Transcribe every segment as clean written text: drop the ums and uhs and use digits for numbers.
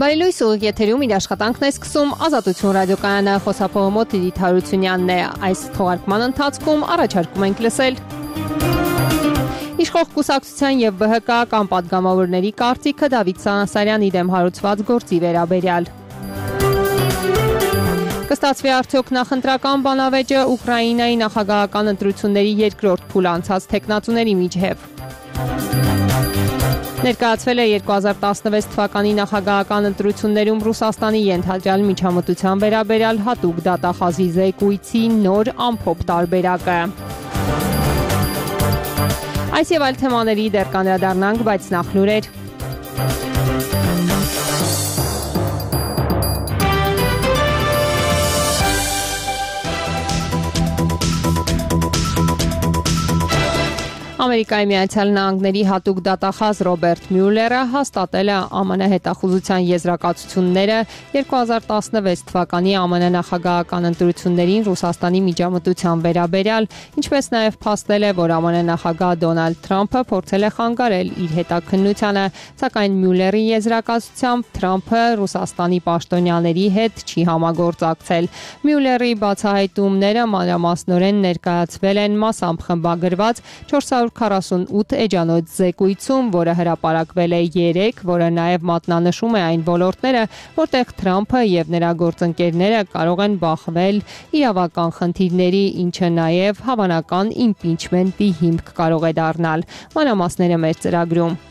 Բարելույս ու եթերում իր աշխատանքն է սկսում Ազատություն ռադիոկայանը, խոսափողը Տիրիթ Հարությունյանն է։ Այս թողարկման ընթացքում առաջարկում ենք լսել Իշխող կուսակցության և ԲՀԿ կամ պատգամավորների կարծիքը Դավիթ Սանասարյանի դեմ հարուցված գործի վերաբերյալ։ Կստացվի արդյոք նախընտրական բանավեճը Ուկրաինայի նախագահական ընտրությունների երկրորդ փուլ անցած թեկնածուների միջև։ Ներկայացվել է 2016 թվականի նախագահական ընտրություններում Ռուսաստանի ենթադրյալ միջամտության վերաբերյալ հատուկ դատախազի զեկույցի նոր ամփոփ տարբերակը։ Այս եւ այլ թեմաների դեռ կանդրադառնանք, բայց նախ լուրեր։ Ամերիկայի Միացյալ Նահանգների հատուկ դատախազ Ռոբերտ Մյուլլերը հաստատել է ԱՄՆ հետախուզության եզրակացությունները 2016 թվականի ԱՄՆ նախագահական ընտրություններին Ռուսաստանի միջամտության վերաբերյալ, ինչպես նաև փաստել է, որ ԱՄՆ նախագահ Դոնալդ Թրամփը փորձել է խանգարել իր հետաքննությանը, սակայն Մյուլլերի եզրակացությամբ Թրամփը Ռուսաստանի պաշտոնյաների հետ չի համագործակցել։ Մյուլլերի բացահայտումները մանրամասնորեն ներկայացվել են մասամբ խմբագրված 448 էջանոց զեկույցում, որը հրապարակվել է 3, որը նաև մատնանշում է այն ոլորտները, որտեղ Թրամփը եւ նրա գործընկերները կարող են բախվել իրավական խնդիրների, ինչը նաև հավանական իմպիչմենտի հիմք կարող է դառնալ։ Մանրամասները մեր ծրագրում։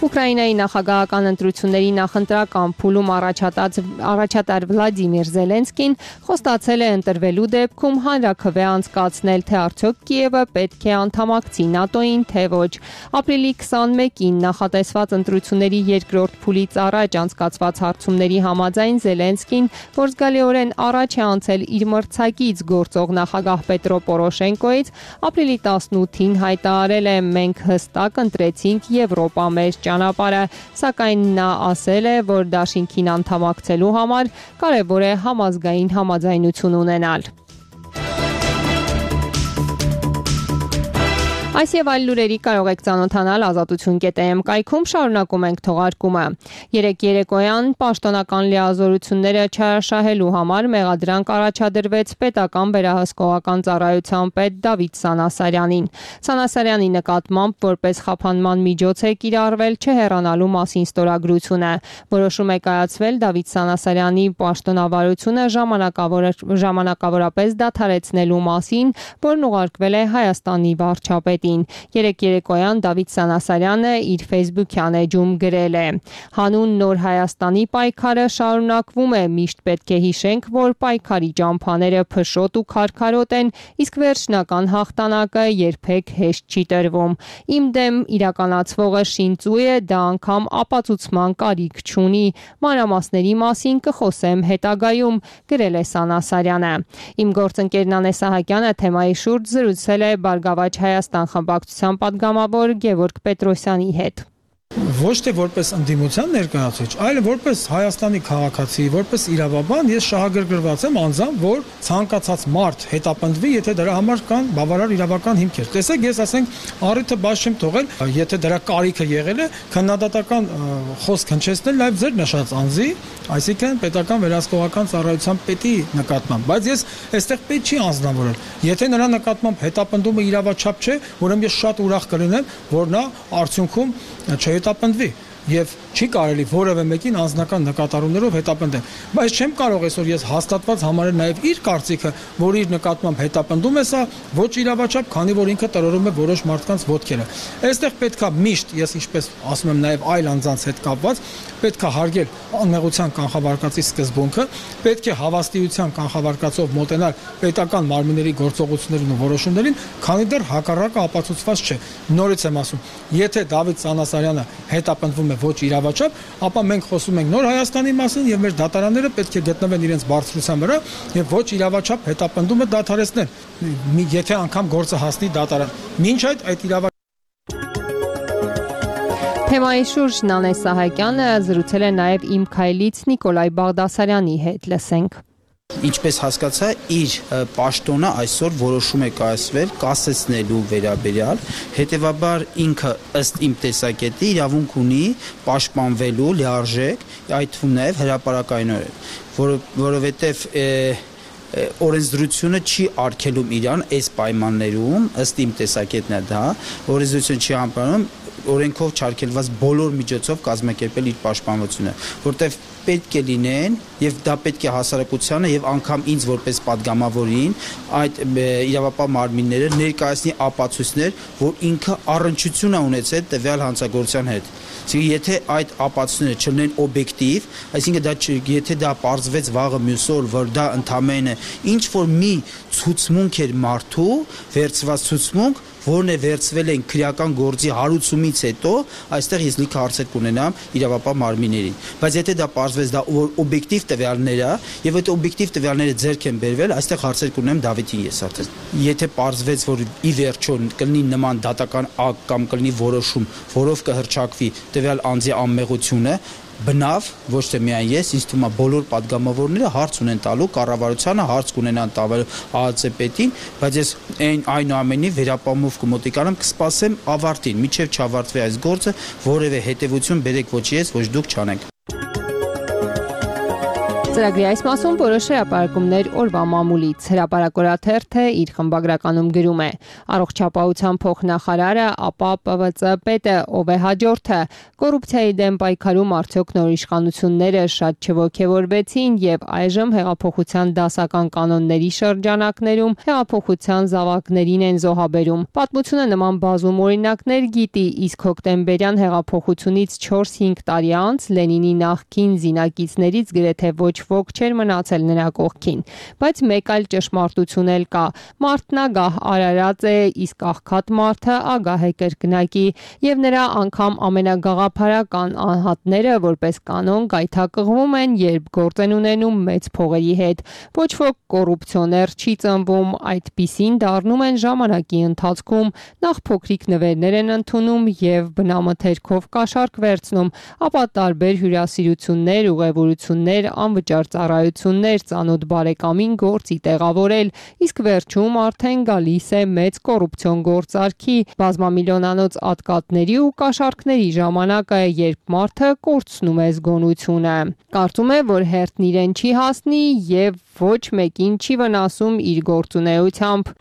Ուկրաինայի նախագահական ընտրությունների նախընտրական փուլում առաջատար Վլադիմիր Զելենսկին խոստացել է ընտրվելու դեպքում հանրաքվե անցկացնել, թե արդյոք Կիևը պետք է անդամակցի ՆԱՏՕ-ին, թե ոչ։ Ապրիլի 21-ին նախատեսված ընտրությունների երկրորդ փուլից առաջ անցկացված հարցումների համաձայն Զելենսկին, որ զգալիորեն առաջ է անցել իր մրցակից գործող նախագահ Պետրո Պորոշենկոից, ապրիլի 18-ին հայտարարել է. «Մենք հստակ ընտրեցինք Եվրոպա մեր ճանապարհը», սակայն նա ասել է, որ դաշինքին անդամակցելու համար կարևոր է համազգային համաձայնություն ունենալ։ Այս եւ այլ լուրերի կարող եք ծանոթանալ Ազատություն.am կայքում, շարունակում ենք թողարկումը։ Երեկ երեկոյան պաշտոնական լիազորությունները չարաշահելու համար մեղադրանք առաջադրվեց պետական վերահսկողական ծառայության պետ Դավիթ Սանասարյանին։ Սանասարյանի նկատմամբ որպես խափանման միջոց է կիրառվել չհեռանալու մասին ստորագրությունը։ Որոշում է կայացվել Դավիթ Սանասարյանի պաշտոնավարությունը ժամանակավորապես դադարեցնելու մասին, որն ուղարկվել է Հայաստանի վարչապետ։ Երեկ երեկոյան Դավիթ Սանասարյանը իր Facebook-յան էջում գրել է. «Հանուն Նոր Հայաստանի պայքարը շարունակվում է, միշտ պետք է հիշենք, որ պայքարի ճամփաները փշոտ ու քարքարոտ են, իսկ վերջնական հաղթանակը երբեք հեշտ չի տրվում։ Իմ դեմ իրականացվողը շինծու է, դա անգամ ապացուցման կարիք չունի։ Մանրամասների մասին կխոսեմ հետագայում», գրել է Սանասարյանը։ Իմ գործընկեր Նանե Սահակյանը թեմայի շուրջ զրուցել է Բարգավաճ Հայաստան խմբակցության падգամավոր Գևորգ Պետրոսյանի հետ։ Ոչ թե որպես ընդդիմության ներկայացուցիչ, այլ որպես Հայաստանի քաղաքացի, որպես իրավաբան ես շահագրգռված եմ անձամբ, որ ցանկացած մարդ հետապնդվի, եթե դրա համար կան բավարար իրավական հիմքեր։ Տեսեք, ես ասենք առիթը բաց չեմ թողել, եթե դրա կարիքը եղել է, քննադատական խոսք հնչեցնել նաև ձեր նշած անձի, այսինքն պետական վերահսկողական ծառայության պետի նկատմամբ, բայց ես այստեղ պետք չի անձնավորել։ Եթե նրա նկատմամբ հետապնդումը իրավաչափ չէ, ուրեմն ես շատ ուրախ կլինեմ, որ նա արդյունքում չհետապնդվի եւ չի կարելի որևէ մեկին անձնական նկատառումներով հետապնդել, բայց չեմ կարող այսօր ես հաստատված համարել նաեւ իր կարծիքը, որ իր նկատմամբ հետապնդում է սա ոչ իրավաչափ, քանի որ ինքը տրորում է որոշ մարդկանց ոտքերը։ Այստեղ պետքա միշտ, ես ինչպես ասում եմ նաեւ այլ անձանց հետ կապված, պետքա հարգել անմեղության կանխավարկածի սկզբունքը, պետք է հավաստիության կանխավարկածով մոտենալ պետական մարմինների գործողություններին ու որոշումներին, քանի դեռ հակառակը ապացուցված չէ։ Նորից եմ ասում, եթե Դավիթ Սանասարյանը հետապնդվում է ոչ իրավաչափ, ապա մենք խոսում ենք Նոր Հայաստանի մասին եւ մեր դատարանները պետք է գտնվեն իրենց բարձրության վրա եւ ոչ իրավաչափ հետապնդումը դադարեցնել, եթե անգամ գործը հասնի դատարան։ Մինչ այդ իրավաչափ Թեմայի շուրջ Նանե Սահակյանը զրուցել է նաև Իմ քայլից Նիկոլայ Բաղդասարյանի հետ, լսենք։ Ինչպես հասկացա, իր պաշտոնը այսօր որոշում է կայացվել կասեցնելու վերաբերյալ, հետևաբար ինքը ըստ իմ տեսակետի իրավունք ունի պաշտպանվելու լիարժեք, այդ թվում նաև հրապարակայնորեն, որովհետև օրենսդրությունը չի արգելում իրան այս պայմաններում, ըստ իմ տեսակետն է դա, օրենսդրությունը չի համարում օրենքով չարգելված բոլոր միջոցով կազմակերպել իր պաշտպանությունը, որտեղ պետք է լինեն եւ դա պետք է հասարակությանը եւ անգամ ինձ որպես падգամավորին այդ իրավապահ մարմինները ներկայացնի ապացույցներ, որ ինքը առնչություն է ունեցել տվյալ հանցագործության հետ։ Այսինքն եթե այդ ապացույցները չլինեն օբյեկտիվ, այսինքն եթե դա պարզվեց վաղը մյուս օր, որ դա ընդամենը ինչ որ մի ցուցմունք էր մարդու, վերցված ցուցմունք, որն է վերցվել են քրեական գործի հարուցումից հետո, այստեղ ես լիքը հարցեր կունենամ իրավապահ մարմիններին։ Բայց եթե դա պարզվեց դա օբյեկտիվ տվյալներ է, եւ այդ օբյեկտիվ տվյալները ձեռք են բերվել, այստեղ հարցեր կունենամ Դավիթին ես արդեն։ Եթե պարզվեց, որ ի վերջո կլինի նման դատական ակտ կամ կլինի որոշում, որով կհռչակվի տվյալ անձի անմեղությունը, բնավ ոչ թե միայն ես, ինձ թվում է բոլոր падգամավորները հարց ունեն տալու կառավարությանը, հարց կունենան տալու ԱԱՑ պետին, բայց ես այնուամենի վերապահումով կմոտիկանամ, կսպասեմ ավարտին, մինչև չավարտվի այս գործը, որևէ հետևություն բերեք ոչ ես, ոչ դուք չանենք։ Ծրագրի այս մասում որոշ հրապարակումներ օրվա մամուլից։ Հրապարակորաթերթը իր խմբագրականում գրում է. Առողջապահության փոխնախարարը, ապա ՊՎԾ պետը, ով է հաջորդը, կոռուպցիայի դեմ պայքարում արդյոք նոր իշխանությունները շատ չոգևորվեցին եւ այժմ հեղափոխության դասական կանոնների շրջանակներում հեղափոխության զավակներին են զոհաբերում։ Պատմությունը նման բազում օրինակներ գիտի, իսկ հոկտեմբերյան հեղափոխությունից 4-5 տարի անց Լենինի նախկին զինակիցներից գրեթե ոչ ոք չէր մնացել նրա կողքին, բայց մեկ այլ ճշմարտություն էլ կա. մարդն ագահ արարած է, իսկ աղքատ մարդը ագահ է կրկնակի, եւ նրա անգամ ամենագաղափարական անհատները որպես կանոն գայթակղվում են, երբ գործ են ունենում մեծ փողերի հետ։ Ոչ ոք կոռուպցիոներ չի ծնվում, այդպիսին դառնում են ժամանակի ընթացքում, նախ փոքրիկ նվերներ են ընդունում եւ բնամթերքով կաշառք վերցնում, ապա տարբեր հյուրասիրություններ, ուղևորություններ, անվճար ծառայություններ, ծանոթ բարեկամին գործի տեղավորել, իսկ վերջում արդեն գալիս է մեծ կոռուպցիոն գործարքի, բազմամիլիոնանոց ատկատների ու կաշառքների ժամանակը, երբ մարդը կորցնում է զգոնությունը։ Կարծում է, որ հերթն իրեն չի հասնի եւ ոչ մեկին չի վնասում իր գործունեությամբ։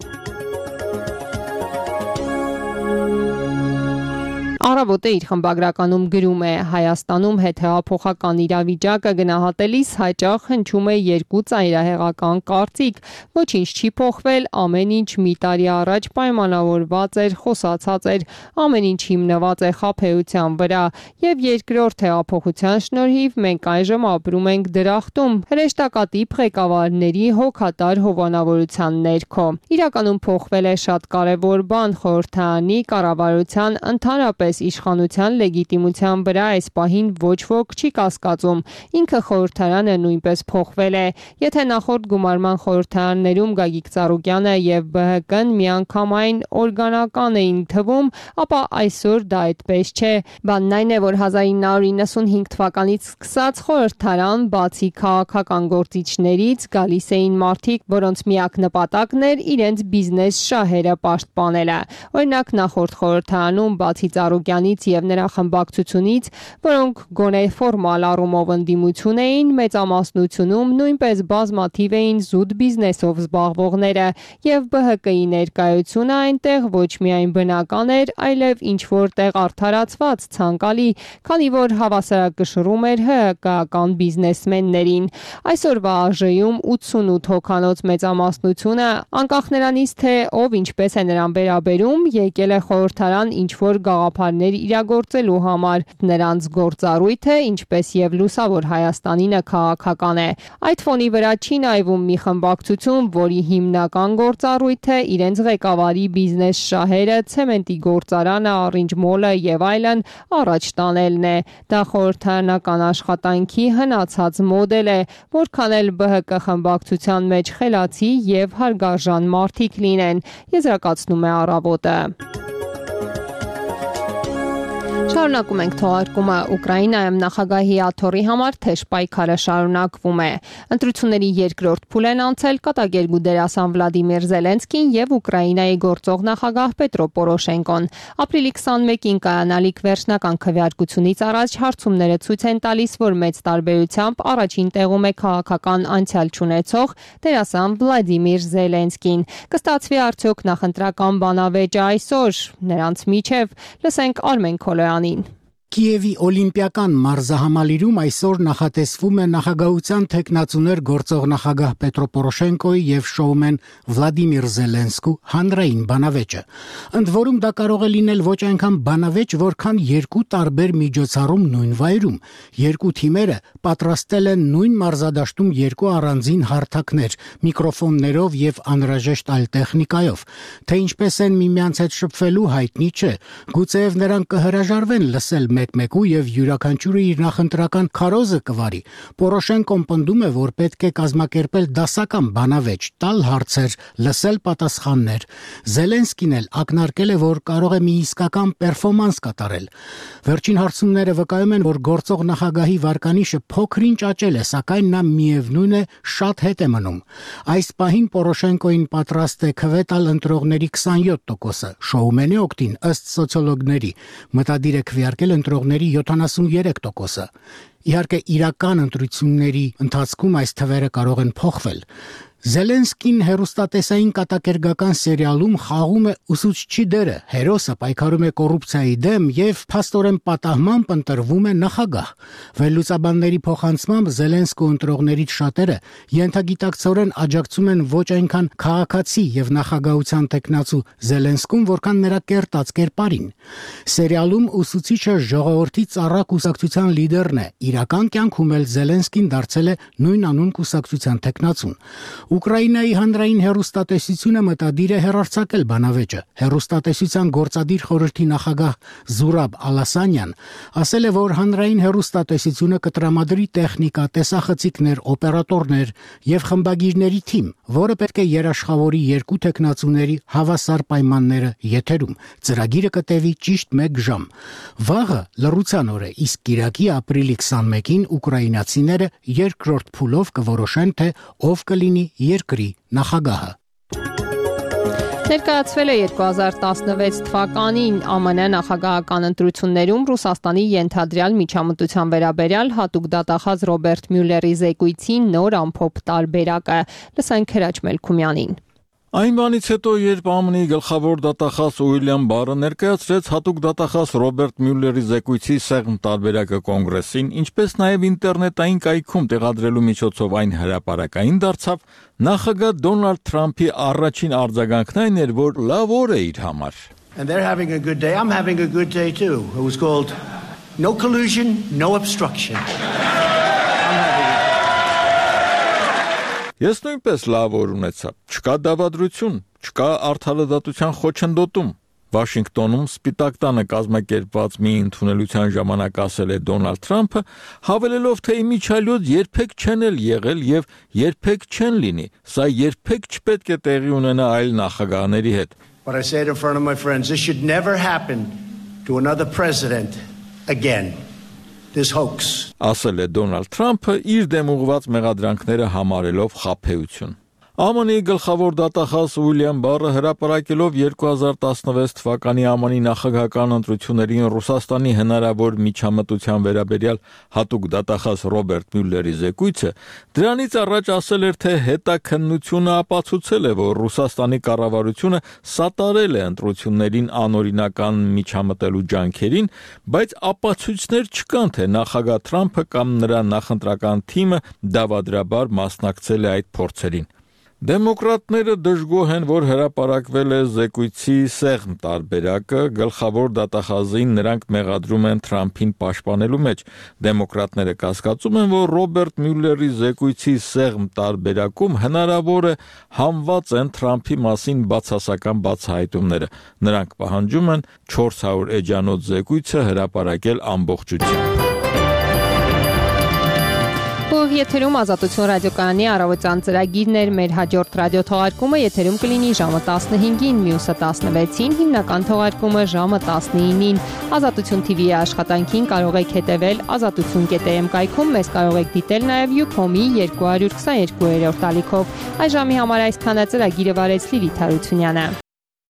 Առավոտը իր խմբագրականում գրում է. Հայաստանում հետհեղափոխական իրավիճակը գնահատելիս հաճախ հնչում է երկու ծայրահեղական կարծիք, ոչինչ չի փոխվել, ամեն ինչ մի տարի առաջ պայմանավորված էր, խոսացած էր, ամեն ինչ հիմնված է խաբեության վրա, եւ երկրորդ հեղափոխության շնորհիվ մենք այժմ ապրում ենք դրախտում, հրեշտակատիպ ղեկավարների հոգատար հովանավորության ներքո։ Իրականում փոխվել է շատ կարևոր բան, խորհրդարանի կառավարության ընդհանրապես իշխանության լեգիտիմության վրա այս պահին ոչ ոք չի կասկածում։ Ինքը խորհրդարանը նույնպես փոխվել է։ Եթե նախորդ գումարման խորհրդարաններում Գագիկ Ծառուկյանը եւ ԲՀԿ-ն միանգամայն օրգանական էին թվում, ապա այսօր դա այդպես չէ։ Բանն այն է, որ 1995 թվականից սկսած խորհրդարան բացի քաղաքական գործիչներից գալիս էին մարդիկ, որոնց միակ նպատակն էր իրենց բիզնես շահերը պաշտպանելը։ Օրինակ նախորդ խորհրդարանում բացի Ծառուկյանից եւ նրա խմբակցությունից, որոնք գոնե ֆորմալ առումով ընդդիմություն էին, մեծամասնությունում նույնպես բազմաթիվ էին զուտ բիզնեսով զբաղվողները եւ ԲՀԿ-ի ներկայությունը այնտեղ ոչ միայն բնական էր, այլև ինչ որտեղ արդարացված, ցանկալի, քանի որ հավասարակշռում էր ՀՀԿ-ական բիզնեսմեններին։ Այսօրվա ԱԺ-ում 88 հոգանոց մեծամասնությունը, անկախ նրանից թե ով ինչպես է նրան վերաբերում, եկել է խորհրդարան ինչ որ գաղափարներ իրագործելու համար։ Նրանց գործառույթը, ինչպես եւ լուսավոր Հայաստանինը քաղաքական է։ Այդ ֆոնի վրա չի նայվում մի խմբակցություն, որի հիմնական գործառույթը իրենց ղեկավարի բիզնես շահերը, ցեմենտի գործարանը, Orange Mall-ը եւ այլն առաջ տանելն է։ Դա խորհրդարանական աշխատանքի հնացած մոդել է, որքան էլ ԲՀԿ խմբակցության մեջ խելացի եւ հարգարժան մարդիկ լինեն, եզրակացնում է Առավոտը։ Շարունակում ենք թողարկումը Ուկրաինայում նախագահի աթոռի համար թեժ պայքարը շարունակվում է։ Ընտրությունների երկրորդ փուլ են անցել կատակերգու դերասան Վլադիմիր Զելենսկին եւ Ուկրաինայի գործող նախագահ Պետրո Պորոշենկոն։ Ապրիլի 21-ին կայանալիք վերջնական քվեարկությունից առաջ հարցումները ցույց են տալիս, որ մեծ տարբերությամբ առաջին տեղում է քաղաքական անցյալ չունեցող դերասան Վլադիմիր Զելենսկին։ Կստացվի արդյոք նախընտրական բանավեճը այսօր։ Նրանց միջև լսենք Արմեն Քոլոյանին։ Կիևի օլիմպիական մարզահամալիրում այսօր նախատեսվում է նախագահության թեկնածուներ գործող նախագահ Պետրո Պորոշենկոյի եւ շոումեն Վլադիմիր Զելենսկու հանրային բանավեճը։ Ընդ որում դա կարող է լինել ոչ այնքան բանավեճ, որքան երկու տարբեր միջոցառում նույն վայրում։ Երկու թիմերը պատրաստել են նույն մարզադաշտում երկու առանձին հարթակներ, միկրոֆոններով եւ անհրաժեշտ այլ տեխնիկայով։ Թե ինչպես են միմյանց հետ շփվելու հայտնի չէ։ Գուցեև նրանք կհրաժարվեն լսել մեկմեկու եւ յուրաքանչյուրը իր նախընտրական քարոզը կվարի։ Պորոշենկոն պնդում է, որ պետք է կազմակերպել դասական բանավեճ, տալ հարցեր, լսել պատասխաններ։ Զելենսկին էլ ակնարկել է, որ կարող է մի իսկական պերֆորմանս կատարել։ Վերջին հարցումները վկայում են, որ գործող նախագահի վարկանիշը փոքրինչ աճել է, սակայն նա միևնույն է շատ հետ է մնում։ Այս պահին Պորոշենկոին պատրաստ է քվե տալ ընտրողների 27%-ը, շոումենի օգտին ըստ սոցիոլոգների մտադիր է քվեարկել ընտրողների 73%-ը։ Իհարկե իրական ընտրությունների ընթացքում այս թվերը կարող են փոխվել։ Զելենսկին հերոստատեսային կատակերգական սերիալում խաղում է ուսուցչի դերը, հերոսը պայքարում է կոռուպցիայի դեմ եւ փաստորեն պատահմամբ ընտրվում է նախագահ։ Վերլուծաբանների փոխանցմամբ Զելենսկու ընտրողներից շատերը ենթագիտակցորեն աջակցում են ոչ այնքան քաղաքացի եւ նախագահության տեխնացու Զելենսկուն, որքան նրա կերտած կերպարին։ Սերիալում ուսուցիչը ժողովրդի ծառա կուսակցության լիդերն է, իրական կյանքում էլ Զելենսկին դարձել է նույն անուն կուսակցության տեխնացուն։ Ուկրաինայի հանրային հեռուստատեսությունը մտադիր է հեռարձակել բանավեճը։ Հեռուստատեսության գործադիր խորհրդի նախագահ Զուրաբ Ալասանյան ասել է, որ հանրային հեռուստատեսությունը կտրամադրի տեխնիկա, տեսախցիկներ, օպերատորներ եւ խմբագիրների թիմ, որը պետք է երաշխավորի երկու տեխնացուների հավասար պայմանները եթերում։ Ծրագիրը կտևի ճիշտ 1 ժամ։ Վաղը լռության օր է, իսկ կիրակի ապրիլի 21-ին ուկրաինացիները երկրորդ փուլով կորոշեն, թե ով կլինի երկրի նախագահը։ Ներկայացվել է 2016 թվականին ԱՄՆ նախագահական ընտրություններում Ռուսաստանի ենթադրյալ միջամտության վերաբերյալ հատուկ դատախազ Ռոբերտ Մյուլլերի զեկույցի նոր ամփոփ տարբերակը։ Լսենք Հրաչ Մելքումյանին։ Այն բանից հետո, երբ ԱՄՆ-ի գլխավոր դատախազ Ուիլյամ Բարը ներկայացրեց հատուկ դատախազ Ռոբերտ Մյուլլերի զեկույցի սեղմ տարբերակը կոնգրեսին, ինչպես նաև ինտերնետային կայքում տեղադրելու միջոցով այն հրապարակային դարձավ, նախագահ Դոնալդ Թրամփի առաջին արձագանքն այն էր, որ լավ օր է իր համար։ And they're having a good day. I'm having a good day too. It was called No Collusion, No Obstruction. Ես նույնպես լավ օր ունեցա։ Չկա դավադրություն, չկա արդարադատության խոչընդոտում։ Վաշինգտոնում Սպիտակ տանը կազմակերպված մի ընդունելության ժամանակ ասել է Դոնալդ Թրամփը, հավելելով, թե իմիջիայլոց երբեք չեն եղել եւ երբեք չեն լինի։ Սա երբեք չպետք է տեղի ունենա այլ նախագահների հետ։ But I said in front of my friends, this should never happen to another president again. This hoax. Ասել է Դոնալդ Թրամփը իր դեմ ուղղված մեղադրանքները համարելով խաբեություն։ ԱՄՆ-ի գլխավոր դատախազ Ուիլյամ Բարը հրապարակելով 2016 թվականի ԱՄՆ-ի նախագահական ընտրություններին Ռուսաստանի հնարավոր միջամտության վերաբերյալ հատուկ դատախազ Ռոբերտ Մյուլլերի զեկույցը, դրանից առաջ ասել էր, թե հետաքննությունը ապացուցել է, որ Ռուսաստանի կառավարությունը սատարել է ընտրություններին անօրինական միջամտելու ջանքերին, բայց ապացույցներ չկան, թե նախագահ Թրամփը կամ նրա նախընտրական թիմը դավադրաբար մասնակցել է այդ փորձերին։ Դեմոկրատները դժգոհ են, որ հրապարակվել է զեկույցի սեղմ տարբերակը, գլխավոր դատախազին նրանք մեղադրում են Թրամփին պաշտպանելու մեջ։ Դեմոկրատները կասկածում են, որ Ռոբերտ Մյուլլերի զեկույցի սեղմ տարբերակում հնարավոր է համված են Թրամփի մասին բացասական բացահայտումները։ Նրանք պահանջում են 400 էջանոց զեկույցը հրապարակել ամբողջությամբ։ Եթերով եթերում Ազատություն ռադիոկայանի առավոտյան ծրագիրն էր, մեր հաջորդ ռադիոթողարկումը եթերում կլինի ժամը 15-ին, մյուսը 16-ին, հիմնական թողարկումը ժամը 19-ին։ Ազատություն TV-ի աշխատանքին կարող եք հետևել azatutun.am կայքում, մեզ կարող եք դիտել նաև Ucom-ի 222-րդ ալիքով։ Այս ժամի համար այսքանը, ծրագիրը վարեց Լիլիթ Հարությունյանը։